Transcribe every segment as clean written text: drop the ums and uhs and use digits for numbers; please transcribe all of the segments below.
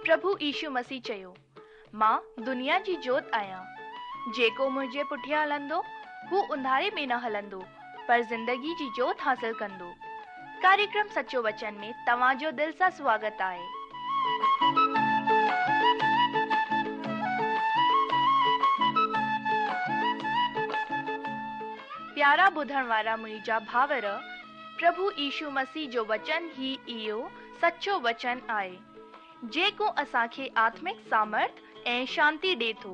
پرڀو يشو مسيح چيو، مان دنيا جي جوت آهيان. جيڪو منهنجي پٺيان هلندو، هو انڌاري ۾ نه هلندو، پر زندگي جي جوت حاصل ڪندو. ڪاريڪرم سچو وچن ۾ توهان جو دل سان سواگت آهي. پيارا ٻڌڻ وارا منهنجا ڀائر، پرڀو يشو مسيح جو وچن ئي اهو سچو وچن آهي، جيڪو اسان کي آتمڪ سامرٿ ۽ شانتي ڏي ٿو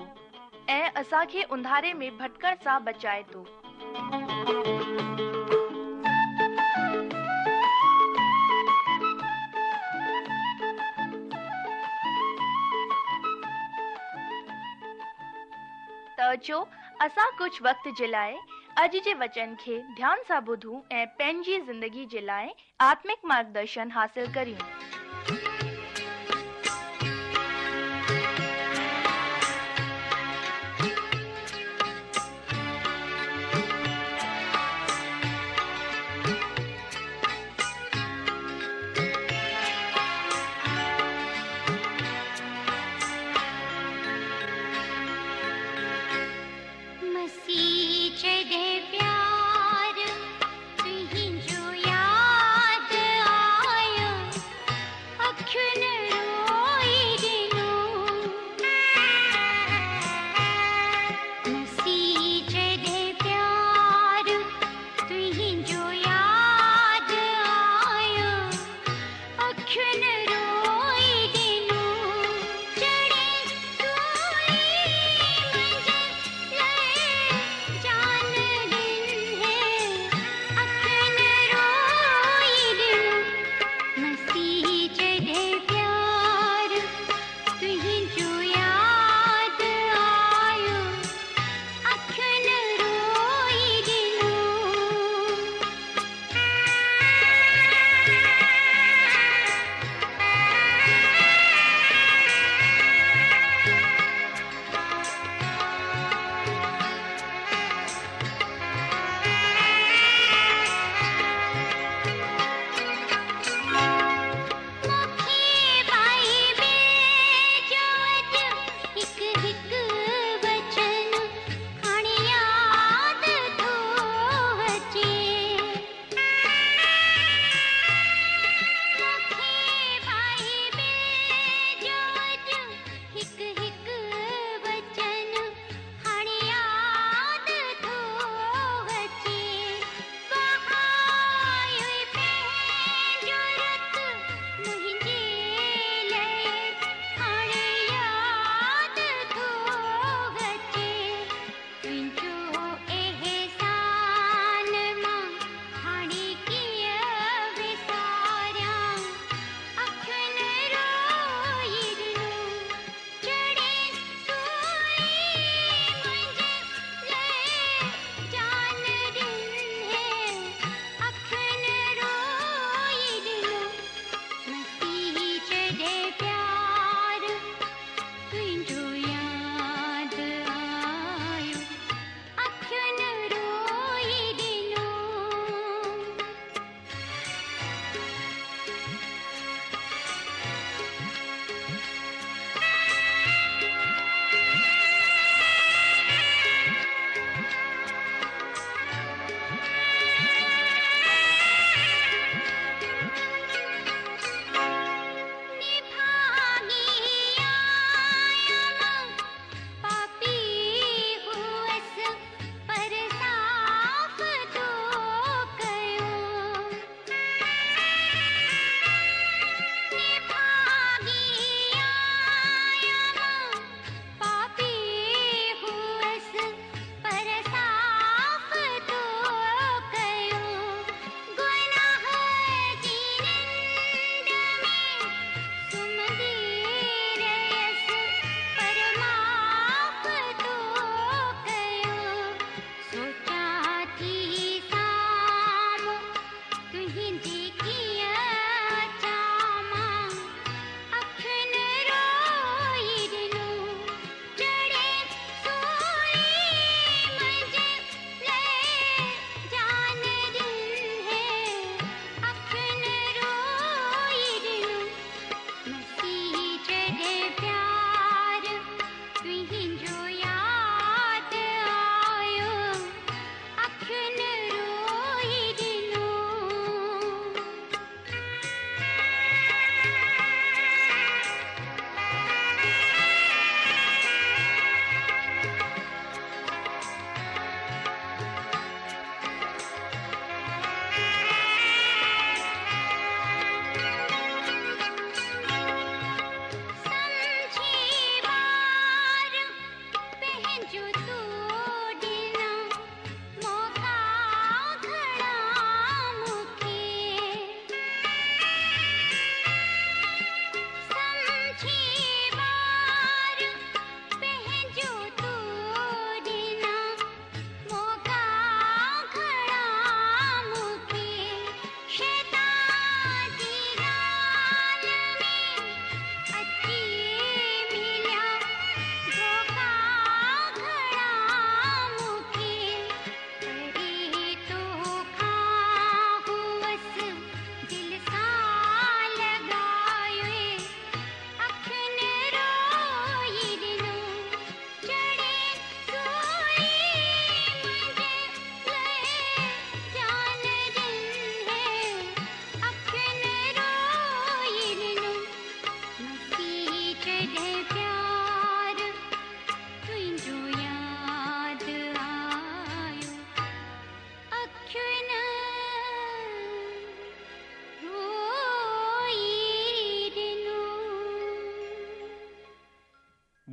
۽ اسان کي انڌاري ۾ ڀٽڪڻ سان بچائي ٿو. ته اچو اسان ڪجهه وقت جي لاء اڄ جي وچن کي ڌيان سان ٻڌون ۽ پنهنجي زندگي جي لاء آتمڪ مارگدرشن حاصل ڪريون. مسيح جڏهن پيار تنهنجو ياد آيو اکين.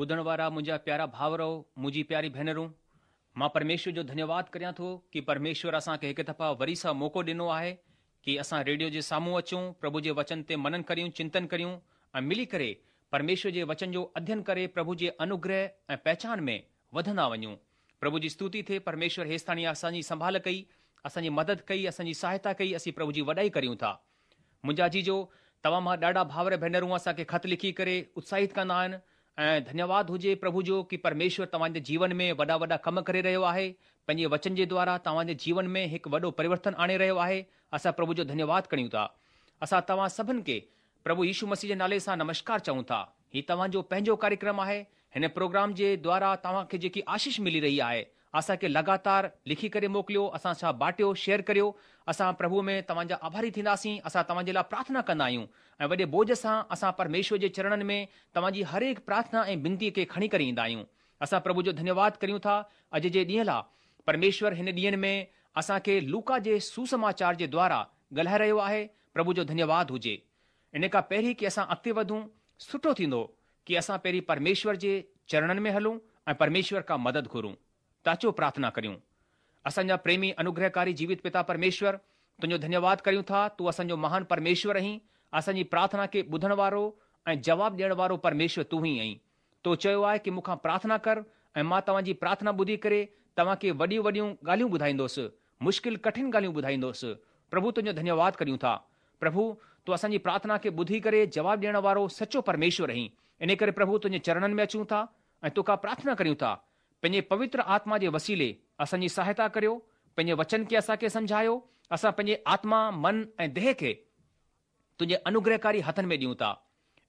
ٻڌڻ وارا منهنجا پيارا ڀائرؤ، منهنجي پياري ڀينرون، مان پرميشور جو ڌنيواد ڪريان ٿو ڪي پرميشور اسان کي هڪ دفعا وري سان موقعو ڏنو آهي ڪي اسان ريڊيو جي سامهون اچون، پرڀو جي وچن تي منن ڪريون، چنتن ڪريون ۽ ملي ڪري پرميشور جي وچن جو اڌين ڪري پرڀو جي انوگره ۽ پهچان ۾ وڌندا وڃون. پرڀو جي ستوتي ٿئي، پرميشور هيستاڻي اسان جي سنڀال ڪئي، اسان جي مدد ڪئي، اسان جي سهائتا ڪئي، اسين پرڀو جي وڏائي ڪريون ٿا. منهنجا عزيزو، توهان مان ڏاڍا ڀائر ڀينرون اسان کي خط لکي ڪري اتساهت ڪندا آهن ۽ ڌنيواد هجي پرڀو جو ڪي پرميشور توهان جي جيون ۾ وڏا وڏا ڪم ڪري رهيو آهي، پنهنجي وچن جي دوارا توهان جي جيون ۾ هڪ وڏو پريورتن آڻي رهيو آهي، اسان پرڀو جو ڌنيواد ڪريون ٿا. اسان توهان سڀن کي پرڀو يشو مسيح جي نالي سان نمشڪار چئون ٿا. هي توهان جو پنهنجو ڪاريڪرم آهي. هن پروگرام جي دوارا توهان کي جيڪي آشيش ملي رهي آهي، اسان کي لڳاتار لکي ڪري موڪليو، اسان سان باٽيو، شيئر ڪريو. اسان پرڀوء ۾ توهان جا آڀاري ٿينداسين. اسان توهان جي لاء پرارٿنا ڪندا آهيون ۽ وڏي بوجه سان اسان پرميشور جي چرڻن ۾ توهان جي هر هڪ پرارٿنا ۽ بنتيء کي کڻي ڪري ايندا آهيون. اسان پرڀو جو ڌنيواد ڪريون ٿا اڄ جي ڏينهن لاء. پرميشور هن ڏينهن ۾ اسان کي لوڪا جي سوسماچار جي دوارا ڳالهائي رهيو آهي، پرڀو جو ڌنيواد هجي. ان کان پهرين ڪي اسان اڳتي وڌون، سٺو ٿيندو ڪي اسان پهرين پرميشور جي چرڻن ۾ هلون ۽ پرميشور کان مدد گهرون. ته اچو پرارٿنا ڪريون. اسان جا پريمي انوگرهڪاري جيوت پتا پرميشور، تنهنجو ڌنيواد ڪريون ٿا، تون اسان جو مهان پرميشور آهين، اسان جي پرارٿنا کي ٻڌڻ وارو ۽ جواب ڏيڻ وارو پرميشور تون ئي آهين. تو چيو آهي ڪي مون کان پرارٿنا ڪر ۽ مان توهان جي پرارٿنا ٻڌي ڪري توهان کي وڏيون وڏيون ڳالهيون ٻڌائيندوس، مشڪل ڪٺن ڳالهيون ٻڌائيندوس. پرڀو تنهنجو ڌنيواد ڪريون ٿا. پرڀو، تون اسان جي پرارٿنا کي ٻڌي ڪري جواب ڏيڻ وارو سچو پرميشور آهين. انهي ڪري پرڀو تنهنجي چرڻن ۾ اچون ٿا ۽ تو کان پرارٿنا ڪريون ٿا. پنهنجي پوتر آتما جي وسيلي اسان جي سهائتا ڪريو، پنهنجي وچن کي اسان کي سمجهايو، اسان پنهنجي آتما، من ۽ ديهه کي تنهنجي انوگرهڪاري هٿن ۾ ڏيون ٿا.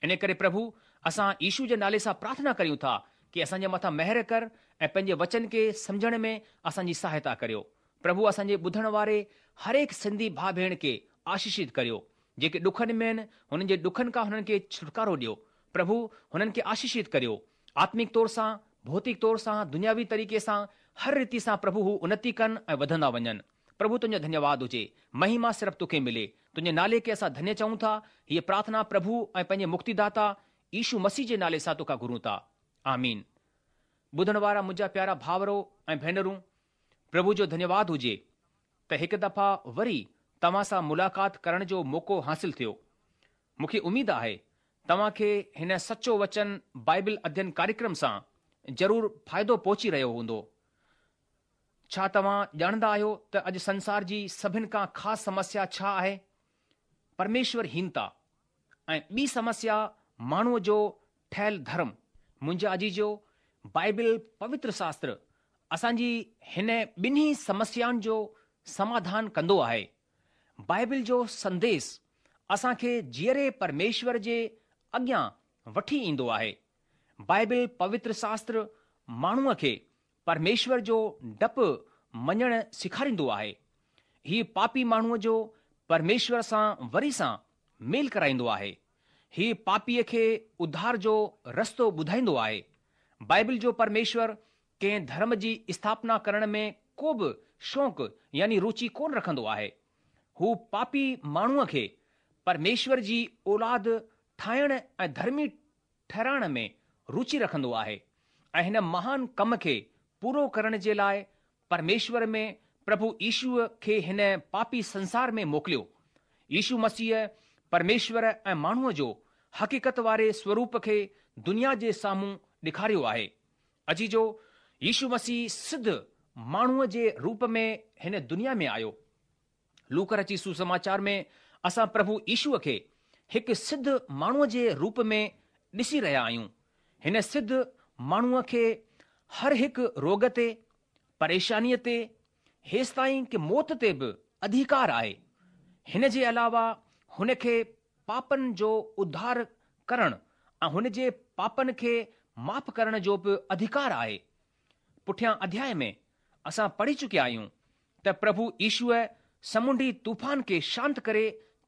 انهي ڪري پرڀو، اسان يشو جي نالي سان پرارٿنا ڪريون ٿا ڪي اسان جي مٿان مهر ڪر ۽ پنهنجي وچن کي سمجهڻ ۾ اسان جي سهائتا ڪريو. پرڀو اسان جي ٻڌڻ واري هرهڪ سنڌي ڀاء ڀيڻ کي آشيشت ڪريو. جيڪي ڏکن ۾ آهن، هنن جي ڏکن کان هنن کي ڇوٽڪارو ڏيو. پرڀو هنن کي آشيشت ڪريو. آتمڪ طور سان، ڀوتڪ طور سان، دنياوي طريقي سان، هر ريتي سان پرڀو هو انتي ڪن ۽ وڌندا وڃن. پرڀو تنهنجو ڌنيواد هجي. مهيما صرف توکي ملي. تنهنجي نالي کي اسان ڌنيه چئون ٿا. هيء پرارٿنا پرڀو ۽ پنهنجي مڪتيداتا يشو مسيح جي نالي سان توکان گهرون ٿا. آمين. ٻڌڻ وارا منهنجا پيارا ڀائرو ۽ ڀينرون، پرڀو جو ڌنيواد هجي ته هڪ دفعا وري توهان سان ملاقات ڪرڻ جو موقعو حاصل ٿيو. مون کي اميد آهي توهان کي هن سچو وچن بائبل اڌين ڪاريڪرم سان ضرور فائدو پهچي رهيو هوندو. ڇا توهان ڄاڻندا آهيو ته اڄ سنسار جي سڀن کان خاص سمسيا ڇا آهي؟ پرميشور هينتا ۽ ٻي سمسيا ماڻهوء جو ٺهيل ڌرم. منهنجا عزيزو، بائبل پوتر شاستر اسان جي هن ٻنهي سمسيائن جو سماڌان ڪندو آهي. بائبل جو سنديش اسان کي جيئري پرميشور جي اڳيان وٺي ايندو آهي. بائبل پوتر شاستر ماڻهوء کي پرميشور جو ڊپ مڃڻ سيکاريندو آهي. هي پاپي ماڻهوء جو پرميشور سان وري سان ميل ڪرائيندو آهي. هي پاپيء کي اڌار جو رستو ٻڌائيندو آهي. بائبل جو پرميشور ڪنهن ڌرم جي اسٿاپنا ڪرڻ ۾ ڪو به شوق يعني روچي ڪونه رکندو آهي. هو پاپي ماڻهوء کي پرميشور جي اولاد ٺاهڻ ۽ ڌرمي ٺهرائڻ ۾ روچي رکندو آهي ۽ هن مهان ڪم کي پورو ڪرڻ جي لاء پرميشور ۾ پرڀو يشوء کي هن پاپي سنسار ۾ موڪليو. يشو مسيح پرميشور ۽ ماڻهوء جو حقيقت واري سوروپ کي دنيا جي سامهون ڏيکاريو آهي. عزيزو، يشو مسيح سڌ ماڻهوء جي روپ ۾ هن دنيا ۾ آيو. لوڪا رچت سوسماچار ۾ اسان پرڀو يشوء کي هڪ سڌ ماڻهوء جي روپ ۾ ڏسي رهيا آهيون. هن سڌ ماڻهوء کي هر هڪ روڳ تي، پريشانيء تي، هيستائين ڪه موت تي به اڌيڪار آهي. هن جي علاوه هن کي پاپن جو اڌار ڪرڻ ۽ هن جي پاپن کي معاف ڪرڻ جو به اڌيڪار آهي. پٺيان اڌياء ۾ اسان پڙهي چڪيا آهيون ته پرڀو يشوء سمنڊي طوفان کي شانت ڪري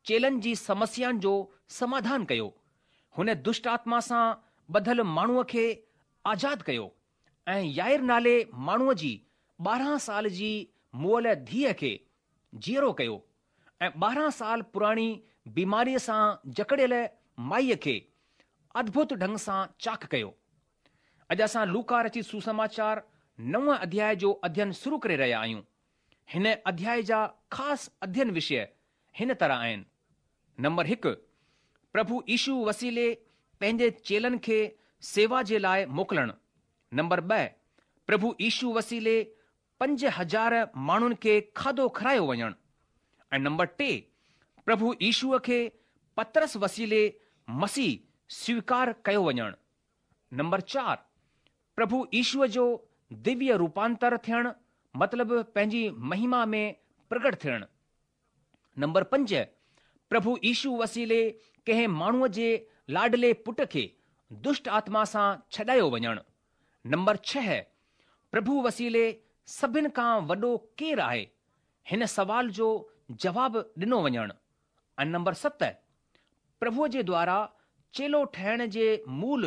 چيلن جي سمسيائن جو سماڌان ڪيو. هن دشٽ آتما سان ٻڌل ماڻهوء کي آزاد ڪيو ۽ يائير نالي ماڻهوء جي 12 سال جي مئل ڌيء کي جيئرو ڪيو ۽ 12 سال پراڻي بيماريء سان جڪڙيل مائيء کي ادڀت ڍنگ سان چاڪ ڪيو. اڄ اسان لوڪا رچت سوسماچار نو اڌياء جو اڌين شروع ڪري رهيا آهيون. هن اڌياء جا خاص اڌين وشيه هن طرح آهن. نمبر هڪ، پرڀو يشو وسيلي پنهنجي چيلن کي سيوا جي لاء موڪلڻ. نمبر ٻه، پرڀو يشو وسيلي 5000 ماڻهن کي کاڌو کارايو وڃڻ ۽ نمبر ٽي، پرڀو يشوء کي پطرس وسيلي مسيح سويڪار ڪيو وڃڻ. نمبر چار، پرڀو يشوء جو دويه روپانتر ٿيڻ مطلب پنهنجي مهما ۾ پرگٽ ٿيڻ. نمبر پنج، پرڀو يشو وسيلي ڪنهن ماڻهوء جي لاڏلي پٽ کي دشٽ آتما سان ڇڏايو وڃڻ. نمبر ڇهه، پرڀو وسيلي سڀن کان وڏو ڪير آهي؟ هن سوال جو جواب ڏنو وڃڻ. ۽ نمبر ست، پرڀوء جي دوارا چيلو ٺهڻ جي مول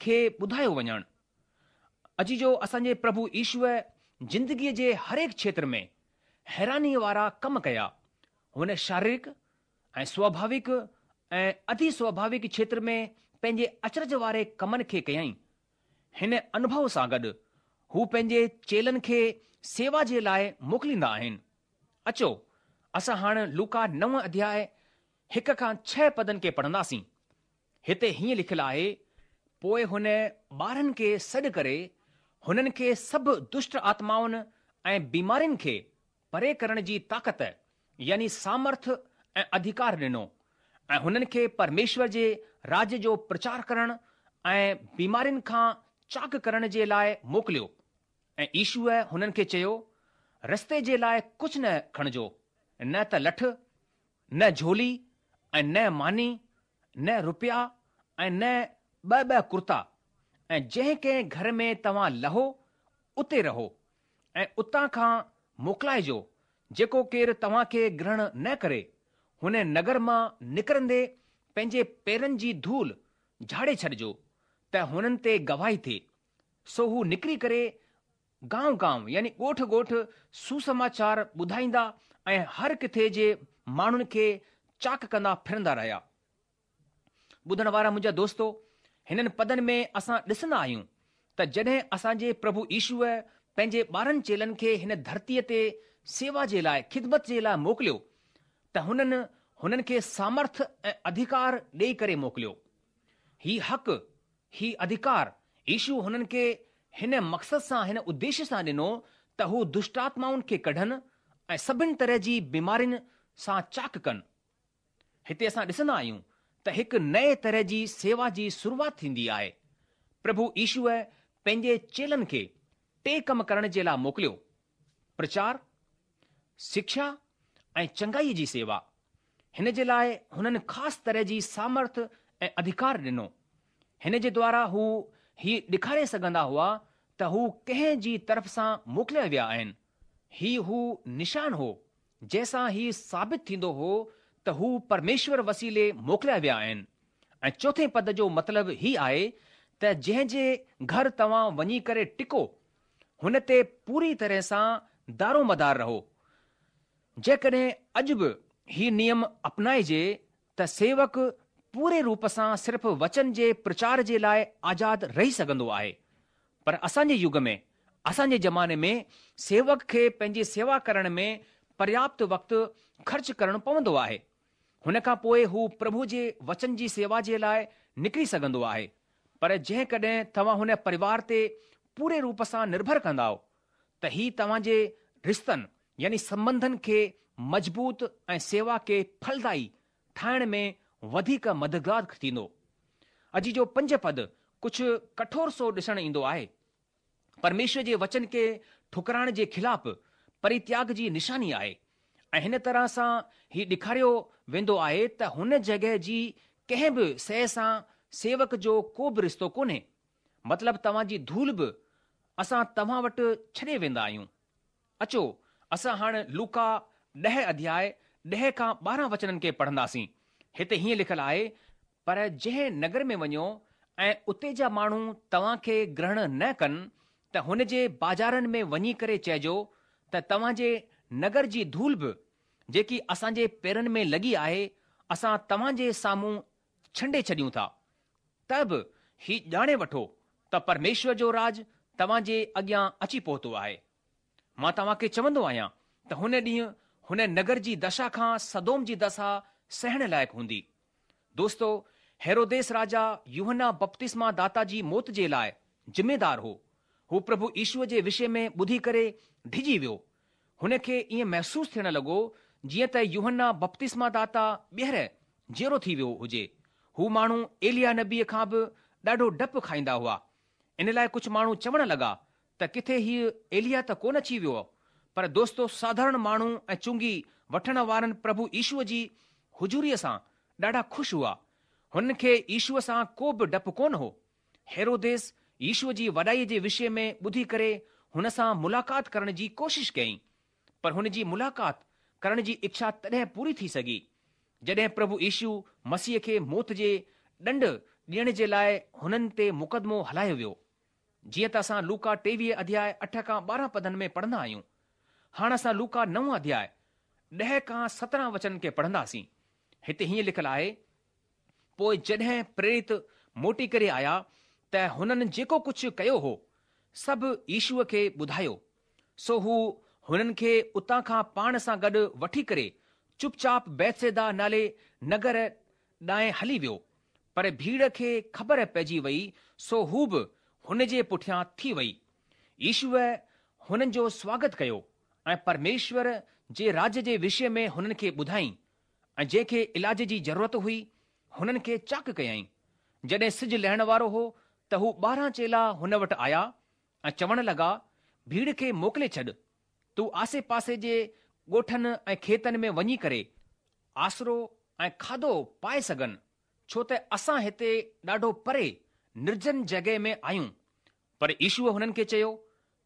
کي ٻڌايو وڃڻ. عزيزو اسان جي پرڀو يشوء زندگيء جي هرهڪ کيتر ۾ حيرانيء وارا ڪم ڪيا. هن شاريرڪ ۽ سواڀاوڪ ۽ اڌي سواڀاوڪ کيتر ۾ پنهنجي اچرج واري ڪمن کي ڪيائين. هن انوڀو سان گڏ هو پنهنجي چيلن کي سيوا جي لاء موڪليندا آهن. اچو اسان هاڻ لوڪا نو اڌياء هڪ کان ڇهه پدن کي پڙهنداسين. هتي هيئن لکيل آهي، پوء هن ٻارهن کي سڏ ڪري هنن کي سڀ دشٽ آتمائن ۽ بيمارين کي پري ڪرڻ جي طاقت يعني سامرٿ ۽ اڌيڪار ڏنو ۽ هنن کي پرميشور جي راڄ جو پرچار ڪرڻ ۽ بيمارين کان چاڪ ڪرڻ جي لاء موڪليو. ۽ يشوء هنن کي چيو، رستي جي لاء ڪجهه نه کڻجو، نه ته لٺ، نه جهولي، ۽ نه ماني، نه رپيا، ۽ نه ٻه ٻه ڪرتا، ۽ جنهن ڪنهن گهر ۾ توهان لهو، اتي رهو، ۽ اتان کان موڪلائجو، جيڪو ڪير توهان کي گرهڻ نه ڪري، هن نگر مان نڪرندي پنهنجي پيرن جي ڌول جهاڙي ڇڏجو، ته هنن تي گواهي ٿئي. سو هو نڪري ڪري گانء گانء يعني ڳوٺ ڳوٺ سوسماچار ٻڌائيندا ۽ هر ڪٿي جي ماڻهن کي چاڪ ڪندا ڦرندا رهيا. ٻڌڻ وارا منهنجا دوستو، هنن پدن ۾ اسان ڏسندا آهيون ته جڏهن اسان جي پرڀو يشوء پنهنجي 12 چيلن کي هن ڌرتيء تي سيوا جي لاء، خدمت جي لاء موڪليو ته هنن هنن کي سامرٿ ۽ اڌيڪار ڏيئي ڪري موڪليو. هي حق هي اڌيڪار يشو هنن کي هن مقصد سان هن اديشيه سان ڏنو ته هو دشٽآتمائن کي ڪڍن ۽ سڀن طرح جي بيمارين سان چاڪ ڪن. هتي اسان ڏسندا آهيون ته هڪ نئين طرح جي سيوا جي شروعات ٿيندي آهي. پرڀو يشوء پنهنجي چيلن کي ٽي ڪم ڪرڻ جي لاء موڪليو، پرچار، شکشا ۽ چنگائيء جي سيوا. هن جي لاء هنن خاص طرح جي سامرٿ ۽ اڌيڪار ڏنو. هن جي دوارا هو هي ڏيکاري سگهندا هئا ته هو ڪنهن جي طرف سان موڪليا ويا آهن. هي هو نشان هو جنهن سان هي ثابت ٿيندو هو ته هو پرميشور وسيلي موڪليا ويا آهن. ۽ چوٿين پد جو مطلب هي آهي ته جنهن جي گهر توهان وڃي ڪري ٽڪو هن تي پوري طرح سان دارومدار رهو. جيڪڏهن اڄ به هي نيم اپنائجي ته سيوڪ پوري روپ سان صرف وچن جي پرچار جي لاء آزاد رهي سگهندو آهي. پر اسان جي يگ ۾، اسان جي زماني ۾ سيوڪ کي پنهنجي سيوا ڪرڻ ۾ پرياپت وقت خرچ ڪرڻو پوندو آهي. هن کان پوء هو پرڀو جي وچن جي سيوا جي لاء نڪري سگهندو آهي. پر جيڪڏهن توهان هن پريوار تي پوري روپ سان نرڀر ڪندائو ته هي توهان جي رشتن يعني سنٻنڌن کي مضبوط ۽ سيوا کي ڦلدائي ٺاهڻ ۾ وڌيڪ مددگار ٿيندو. عزيزو پنج پد ڪجهه ڪٺور سو ڏسڻ ايندو آهي. پرميشور جي وچن کي ٺڪرائڻ جي خلاف پرتياڳ جي نشاني آهي ۽ هن طرح سان هي ڏيکاريو ويندو آهي ته هن جڳهه جي ڪنهن به شيء سان سيوڪ جو ڪو به رشتو ڪونهي. مطلب توهان جي ڌول به اسان توهان وٽ ڇڏي ويندا آهيون. اچو اسان هاڻ لوڪا ڏهه اڌياء ڏهه کان 12 وچنن کي پڙهنداسين. هتي هيئن لکيل آهي، پر جنهن نگر ۾ وڃو ۽ اتي جا ماڻهو توهان کي گرهڻ نه ڪن ته هن جي بازارن ۾ وڃي ڪري چئجو ته توهان جي نگر جي ڌول به جيڪي اسان جي پيرن ۾ لڳي آهي اسان توهان جي سامهون ڇنڊي ڇڏيون ٿا ته به هي ڄاڻي وٺو ته پرميشور جو راڄ توهان جي اڳيان اچي پهتو آهي. مان توهان کي چوندو آهيان ته هن ڏينهن هن نگر جي دشا کان سدوم جي دشا سهڻ لائق هوندي. دوستو، هيروديس راجا يوحنا بپتسما داتا جي موت جي لاء ذميدار هو. هو پرڀو يشوء جي وشي ۾ ٻڌي ڪري ڊڄي ويو. هن کي ائين محسوس ٿيڻ لڳو جيئن ته يوحنا بپتسما داتا ٻيهر جيئرو ٿي ويو هجي. هو ماڻهو ايليا نبيء کان به ڏاڍو ڊپ کائيندا هئا. ان لاء ڪجهه ماڻهو چوڻ لڳا ته ڪٿي هيء ايليا ته ڪونه اچي ويو. پر دوستو ساڌارڻ ماڻهو ۽ چونگي وٺڻ وارن پرڀو يشوء جي حضوريء سان ڏاڍا خوش هئا. هنن کي يشوء سان ڪو به ڊپ ڪونه هو. هيروديس يشوء جي وڏائيء جي وشي ۾ ٻڌي ڪري هن سان ملاقات ڪرڻ جي ڪوشش ڪيائين، پر هن جي ملاقات ڪرڻ جي اڇا تڏهن پوري ٿي سگهي، جڏهن پرڀو يشو مسيح کي موت جي ڏنڊ ڏيڻ جي لاء هنن تي مقدمو هلايو ويو. جيئن ته اسان لوڪا 23 اڌياء 8 کان 12 پدن ۾ پڙهندا آهيون. هاڻ اسان لوڪا 9 اڌياء 10 کان 17 وچنن کي پڙهنداسين. هتي هيئن لکيل آهي، پوء جڏهن پريرت موٽي ڪري آيا ته هنن جيڪو ڪجهه ڪيو هو، سڀ يشوء کي ٻڌايو. سو هو هنن کي اتان کان پاڻ سان گڏ وٺي ڪري چپ چاپ بيتصيدا نالي نگر ڏانهن هلي ويو. پر ڀيڙ کي خبر پئجي وئي سو هو به هن جي پٺيان ٿي وئي. يشوء هنن جو سواگت ڪيو ۽ پرميشور جي راڄ جي وشي ۾ هنن کي ٻڌائين ۽ جنهن کي علاج جي ضرورت هئي، هنن کي چاڪ ڪيائين. جڏهن سج لهڻ وارو هو ته هو 12 چيلا هن وٽ آيا ۽ چوڻ لڳا، ڀيڙ کي موڪلي ڇڏ، ته هو آسي پاسي جي ڳوٺن ۽ کيتن ۾ وڃي ڪري آسرو ۽ کاڌو پائي سگهن، ڇو ته اسان هتي ڏاڍو پري نرجن جڳهه ۾ آهيون. پر يشوء هنن کي چيو،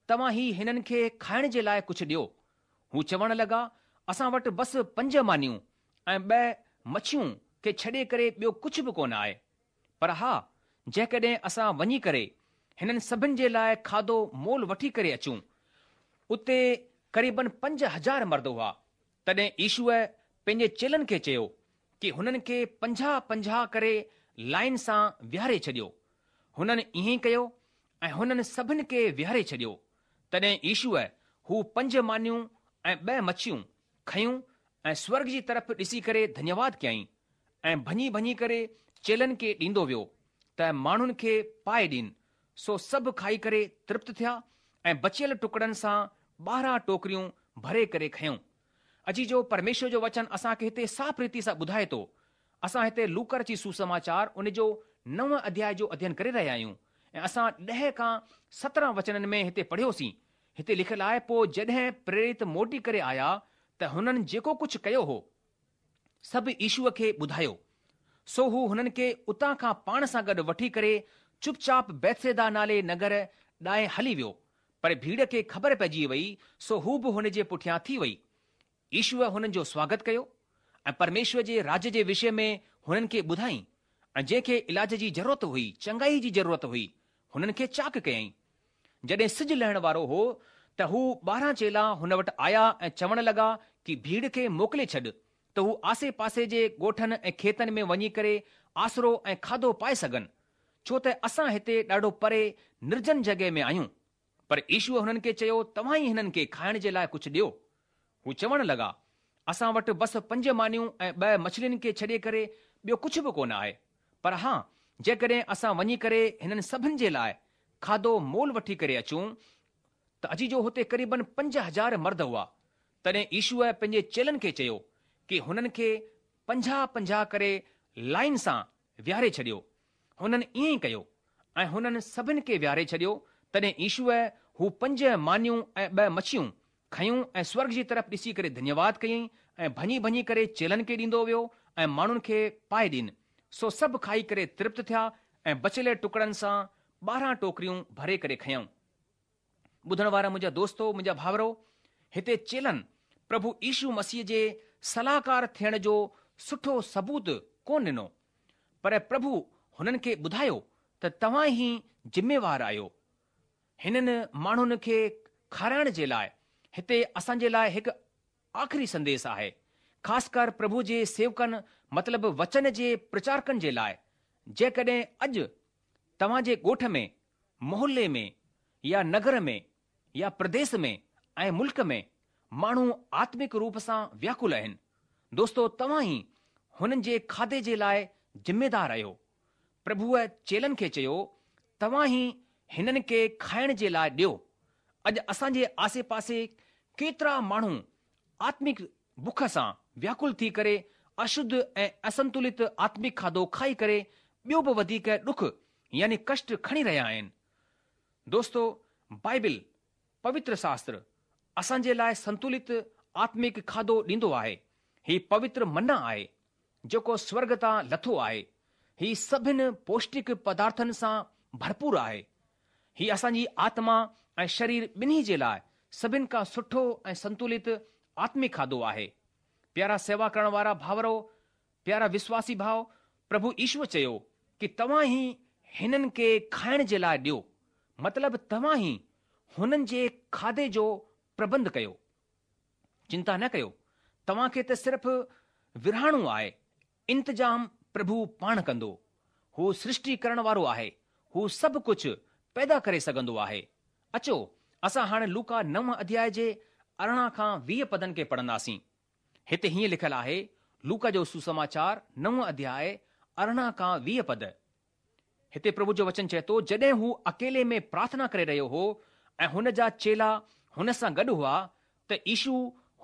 توهان ئي هنن کي کائڻ جي لاء ڪجهه ڏيو. هو چوڻ لڳا، اسان وٽ بس پنج مانيون ۽ ٻه مڇيون کي ڇڏي ڪري ٻيو ڪجهه به ڪونه آهي. پر ها، جيڪڏهن اسان وڃي ڪري هنن سڀن جي لاء کاڌو مول وٺي ڪري اچون. اتي قريبن 5000 مرد هئا. تڏهن يشوء پنهنجي چيلن کي چيو ڪي هنن کي پنجاهه پنجاهه ڪري لائين سان ويهاري ڇڏيو. هنن ائين ئي ڪيو ۽ هنن سڀن کي ويهاري ڇڏيو. تڏهن يشوء هو پنج مانيون ۽ ٻه مڇيون کنيون ۽ سورڳ جي طرف ڏسي ڪري ڌنيواد ڪيائين ۽ ڀڃي ڀڃي ڪري چيلن کي ڏيندو ويو ته ماڻهن کي پائي ڏين. سو سڀ کائي ڪري ترپت ٿيا ۽ بچيل ٽڪڙن سان 12 ٽوڪريون ڀري ڪري کنيون. عزيزو پرميشور جو وچن اسان کي هتي صاف ريتي سان ٻڌائي ٿو. اسان هتي لوڪا رچت سوسماچار ان جو نو اڌياء جو اڌين ڪري رهيا آهيون ۽ اسان 10 کان 17 وچنن ۾ هتي پڙهيوسين. هتي لکيل آهي پوء جڏهن پريرت موٽي ڪري آيا ته هنن جيڪو ڪجهه ڪيو هو سڀ يشوء کي ٻڌايو. سو هو هنن کي اتان کان پاڻ سان گڏ وٺي ڪري چپ چاپ بيتصيدا نالي نگر ڏانهن هلي ويو. پر ڀيڙ کي خبر پئجي وئي سو هو به هن جي پٺيان ٿي وئي. يشوء هنن جو سواگت ڪيو ۽ پرميشور جي راڄ جي وشي ۾ هنن کي ٻڌائين ۽ جنهن کي علاج جي ضرورت هئي، چڱائي جي ضرورت هئي، هنن کي چاڪ ڪيائين. جڏهن سج لهڻ وارو هو ته هو 12 چيلا هن وٽ آيا ۽ چوڻ لڳا ڪي ڀيڙ کي موڪلي ڇڏ ته هو آسي پاسي جي ڳوٺن ۽ کيتن ۾ وڃي ڪري آسرو ۽ کاڌو پائي سگهن، ڇو ته اسان هتي ڏاڍو پري نرجن جڳهه ۾ آهيون. پر يشوء هنن کي چيو، توهان ئي هنن کي کائڻ جي لاء ڪجهه ڏيو. هو چوڻ لڳا، اسان وٽ بس پنج مانيون ۽ ٻه مڇلين کي ڇڏي ڪري ٻيو ڪجهه به ڪونه آهي. پر ها، جيڪڏهن اسان وڃي ڪري هنن سڀن جي لاء کاڌو مول وٺي ڪري اچون ته عزيزو هتي قريبن 5000 مرد هئا. تڏهن يشوء پنهنجي چيلن کي چيو ڪي هنن کي پنجاهه پنجاهه ڪري لائين سان ويهاري ڇڏيو. هنن ائين ئي ڪيو ۽ هنن سڀن کي ويهاري ڇڏيو. تڏهن يشوء هو پنج مانيون ۽ ٻه مڇيون کنيون ۽ سورڳ جي طرف ڏسي ڪري ڌنيواد ڪيائين ۽ ڀڃي ڀڃي ڪري چيلن کي ڏيندو ويو ۽ ماڻهن کي پائي ڏين. سو سڀ کائي ڪري ترپت ٿيا ۽ بچيل ٽڪڙن سان 12 ٽوڪريون ڀري ڪري کنيائون. ٻڌڻ وارا منهنجا دوستو، منهنجا ڀائرو، هتي چيلن پرڀو يشو مسيح جي صلاحڪار ٿيڻ جو سٺو ثبوت ڪونه ڏنو، پر پرڀو هنن کي ٻڌايو ته توهان ئي ذميوار آهيو. هنن ماڻهن کي کارائڻ جي لاء هتي اسان جي لاء هڪ آخري سنديس آهي، خاص ڪر پرڀو جي سيوڪن مطلب وچن جي پرچارڪن جي لاء، جيڪڏهن اڄ توهان جي ڳوٺ ۾ محلي ۾ يا نگر ۾ يا پرديس ۾ ۽ ملڪ ۾ ماڻهو آتمڪ روپ سان وياڪل آهن. دوستو توهان ئي هنن جي کاڌي جي لاء ذميدار آهيو. پرڀوء چيلن کي چيو، توهان ئي هنن کي کائڻ جي لاء ڏيو. اڄ اسان جي آسي پاسي ڪيترا ماڻهو آتمڪ بک سان وياڪل ٿي ڪري اشڌ ۽ اسنتلت آتمڪ کاڌو کائي ڪري ٻيو به وڌيڪ ڏک يعني ڪشٽ کڻي رهيا آهن. دوستو بائبل، پوتر شاستر، اسان جي لاء سنتولت آتمڪ کاڌو ڏيندو آهي. هي پوتر منا آهي، جيڪو سورڳ تان لٿو آهي. هي سڀن پوشٽڪ پدارٿن سان ڀرپور آهي. هي اسان جي آتما ۽ شرير ٻنهي جي لاء سڀن کان سٺو ۽ سنتولت آتمڪ کاڌو آهي. پيارا سيوا ڪرڻ وارا ڀائرو، پيارا وشواسي ڀاء، پرڀو يشوء چيو ڪي توهان ئي هنن کي کائڻ جي لاء ڏيو، مطلب توهان ئي هنن جي کاڌي جو پربنڌ ڪيو. چنتا نه ڪيو، توهان کي ته صرف ورهائڻو آهي، انتظام پرڀو پاڻ ڪندو. هو سرشٽي ڪرڻ وارو آهي، هو سڀ ڪجهه پيدا ڪري سگهندو آهي. اچو اسان هاڻي لوڪا نو اڌياء جي 18 کان 20 پدن کي پڙهنداسين. هتي هيئن لکيل آهي، لوڪا جو سوسماچار نو اڌياء 18 کان 20 پد. هتي پرڀو جو وچن چئي ٿو، جڏهن هو اڪيلي ۾ پرارٿنا ڪري رهيو هو ۽ هن جا چيلا هن سان گڏ هئا ته يشو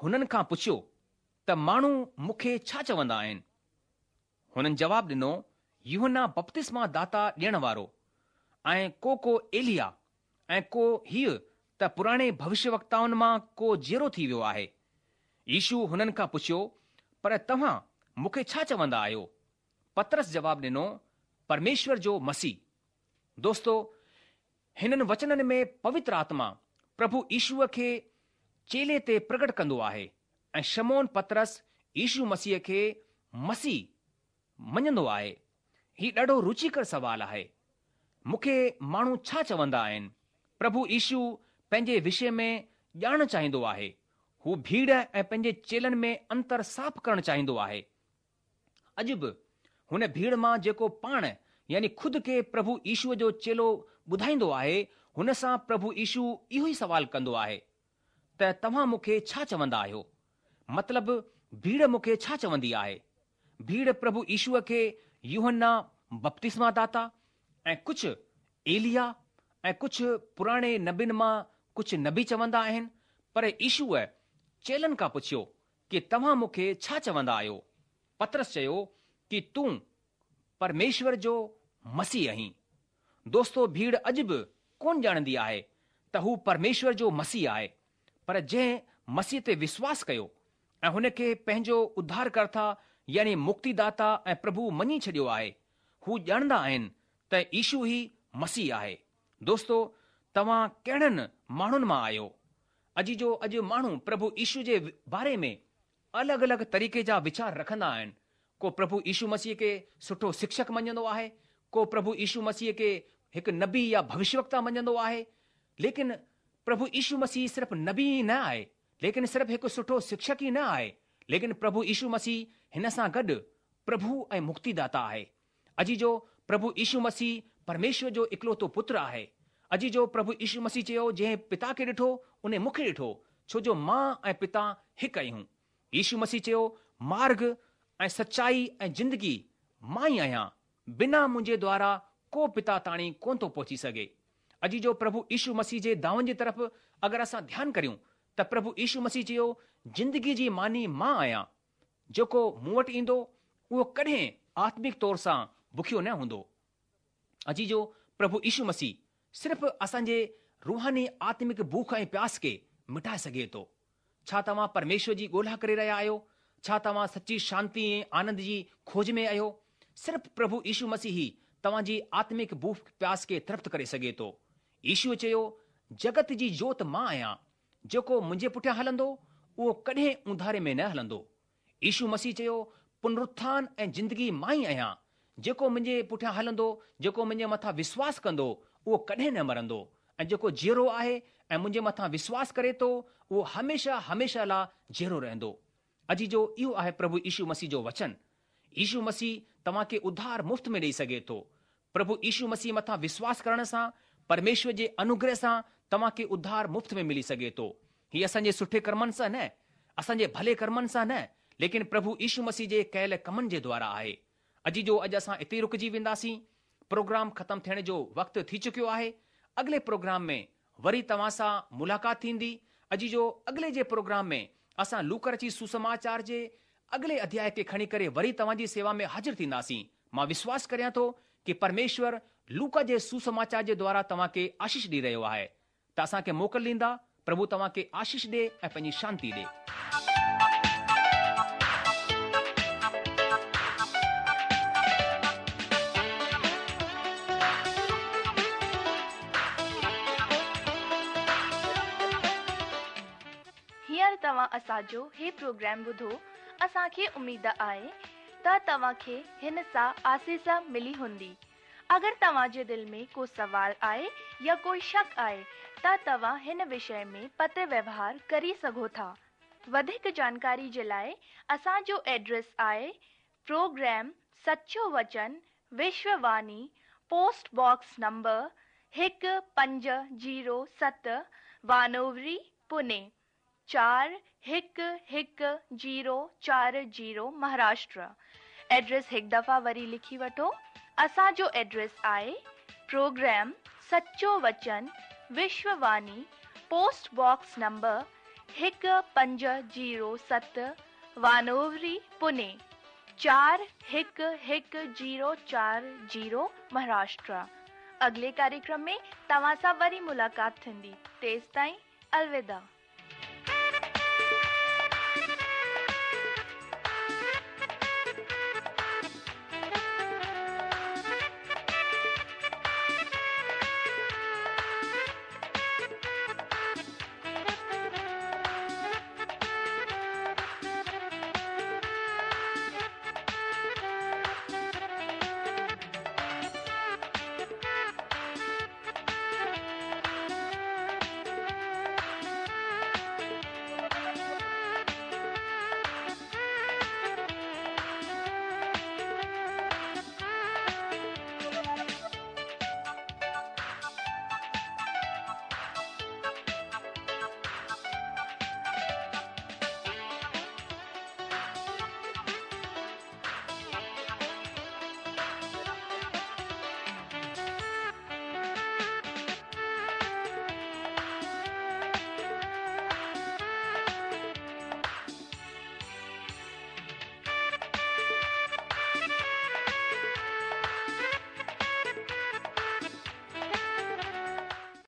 هنن کان پڇيو ته ماڻهو مون کي ڇا چوندا آهن؟ هنن جواب ڏنو، يوحنا بپتسما داتا ڏيڻ وارو ۽ ڪو ڪو ايليا ۽ ڪو هيء ته پراڻي ڀوشيوڪتائن مان ڪو جيئرو ٿي ويو آهي. يشو هنن کان پڇيو، پر توهان مون کي ڇا چوندا آهيو؟ پطرس جواب ڏنو، پرميشور جو مسيح. دوستو، هنن وچنن ۾ پوتر آتما پرڀو يشوء کي چيلي تي پرگٽ ڪندو آهي ۽ شمعون پطرس يشو مسيح کي مسيح مڃندو آهي. هي ڏاڍو رچيڪر سوال آهي. مون کي ماڻهو ڇا چوندا آهن؟ پرڀو يشو پنهنجي وشي ۾ ڄاڻڻ چاهيندو آهي. هو ڀيڙ ۽ پنهنجي چيلن ۾ انتر صاف ڪرڻ چاهيندو آهي. اڄ به هن ڀيڙ مان جيڪو پاڻ يعني خود کي پرڀو يشوء جو چيلو ٻڌائيندو آهي، هن سان پرڀو يشو اهو ئي سوال ڪندو آهي ته توهان مون کي ڇا چوندا آهيو؟ مطلب ڀيڙ مون کي ڇا چوندي آهي؟ ڀيڙ پرڀو يشوء کي يوحنا بپتسما داتا ۽ ڪجهه ايليا ۽ ڪجهه پراڻي نبين مان ڪجهه نبي چوندا آهن، پر يشوء چيلن کان پڇيو ڪي توهان مون کي ڇا چوندا آهيو؟ پطرس چيو ڪي تون پرميشور جو مسيح آهين. دوستو ڀيڙ اڄ به ڪونه ڄاڻندي آهي ته هو پرميشور جو مسيح آهي، پر جنهن مسيح تي وشواس ڪيو ۽ هن کي پنهنجو اڌارڪرتا يعني مڪتي داتا ۽ پرڀو مڃي ڇڏيو آهي، هو ڄاڻندا آهن ته يشو ئي مسيح آهي. دوستو توهان ڪهڙن ماڻهن مان آهيو؟ عزيزو اڄ ماڻهو پرڀو يشو جي باري ۾ الڳ الڳ طريقي جا ويچار رکندا آهن. ڪو پرڀو يشو مسيح کي سٺو شڪشڪ مڃندو آهي، ڪو پرڀو يشو مسيح کي هڪ نبي يا ڀوشيوڪتا مڃندو آهي. ليڪن پرڀو يشو مسيح صرف نبي ئي نه آهي، ليڪن صرف هڪ سٺو شڪشڪ ئي نه آهي، ليڪن پرڀو يشو مسيح هن سان گڏ پرڀو ۽ مڪتيداتا آهي. عزيزو، پرڀو يشو مسيح پرميشور جو اڪلوتو پتر آهي. عزيزو، پرڀو يشو مسيح چيو، جنهن پتا کي ڏٺو، انهي مون کي ڏٺو، ڇو جو مان ۽ پتا هڪ آهيون. يشو مسيح چيو، مارگ ۽ سچائي ۽ زندگي مان ئي آهيان، بنا منهنجي دوارا ڪو پتا تاڻي ڪونه ٿو پهچي سگهي. عزيزو، پرڀو يشو مسيح جي دعون جي طرف اگر اسان ڌيان ڪريون ته پرڀو يشو مسيح چيو، زندگي جي ماني مان آهيان. جيڪو مون وٽ ايندو، اهو ڪڏهن آتمڪ طور سان بکيو نه هوندو. عزيزو، پرڀو يشو مسيح صرف اسان جي روحاني آتمڪ بک ۽ پياس کي مٽائي سگهي ٿو. ڇا توهان پرميشور جي ڳولها ڪري رهيا آهيو؟ ڇا توهان سچي شانتي ۽ آنند جي کوج ۾ آهيو؟ صرف پرڀو يشو مسيح ئي توهان جي آتمڪ بک پياس کي ترپت ڪري سگهي ٿو. يشوء چيو، جڳت جي جوت مان آهيان. جيڪو منهنجي پٺيان هلندو، اهو ڪڏهن اونڌاري ۾ نه هلندو. يشو مسيح چيو، پنرٿان ۽ زندگي مان ئي آهيان. جيڪو منهنجي پٺيان هلندو، جيڪو منهنجي مٿان وشواس ڪندو، اهو ڪڏهن نه مرندو ۽ جيڪو جيئرو آهي ۽ منهنجي مٿان وشواس ڪري ٿو، اهو هميشه هميشه لاء جيئرو رهندو. عزيزو، اهو آهي پرڀو يشو مسيح جو وچن. يشو مسيح توهان کي اڌار مفت ۾ ڏئي سگهي ٿو. پرڀو يشو مسيح مٿان وشواس ڪرڻ سان پرميشور جي انوگره سان توهان کي اڌار مفت ۾ ملي سگهي ٿو. هي اسان جي سٺي ڪرمن سان نه، اسان جي ڀلي ڪرمن سان نه، ليڪن پرڀو يشو مسيح جي ڪيل ڪمن جي دوارا آهي. عزيزو اڄ اسان اتي ئي رڪجي وينداسين. پروگرام ختم ٿيڻ جو وقت ٿي چڪيو آهي. اڳلي پروگرام ۾ وري توهان سان ملاقات ٿيندي. عزيزو اڳلي جي پروگرام ۾ اسان لوڪا رچت سوسماچار جي اڳلي اڌياء کي کڻي ڪري وري توهان جي سيوا ۾ حاضر ٿينداسين. مان وشواس ڪريان ٿو ڪي پرميشور لوڪا جي سوسماچار جي دوارا توهان کي آشيش ڏئي رهيو آهي. ته اسان کي موڪل ڏيندا، پرڀو توهان کي آشيش ڏي ۽ پنهنجي شانتي ڏي. هينئر توهان اسان جو هي پروگرام ٻڌو، اسان کي اميد آهي ته توهان کي هن سان آسيس ملي هوندي. اگر توهان جي دل ۾ ڪو سوال آهي يا ڪوئي شڪ آهي ته توهان هن وشي ۾ پتر ويوهار ڪري سگهو ٿا. وڌيڪ جانڪاري جي لاء اسان جو ايڊريس آهي پروگرام سچو وچن Vishwa Vani post box number 1507 Wanowrie Pune 411040 Maharashtra address هڪ دفعا وري لکي وٺو اسان جو ايڊريس آهي پروگرام سچو وچن Vishwa Vani post box number 1507 Wanowrie Pune 411040 Maharashtra اڳلي ڪاريڪرم ۾ توهان سان وري ملاقات ٿيندي تيستائين الوداع.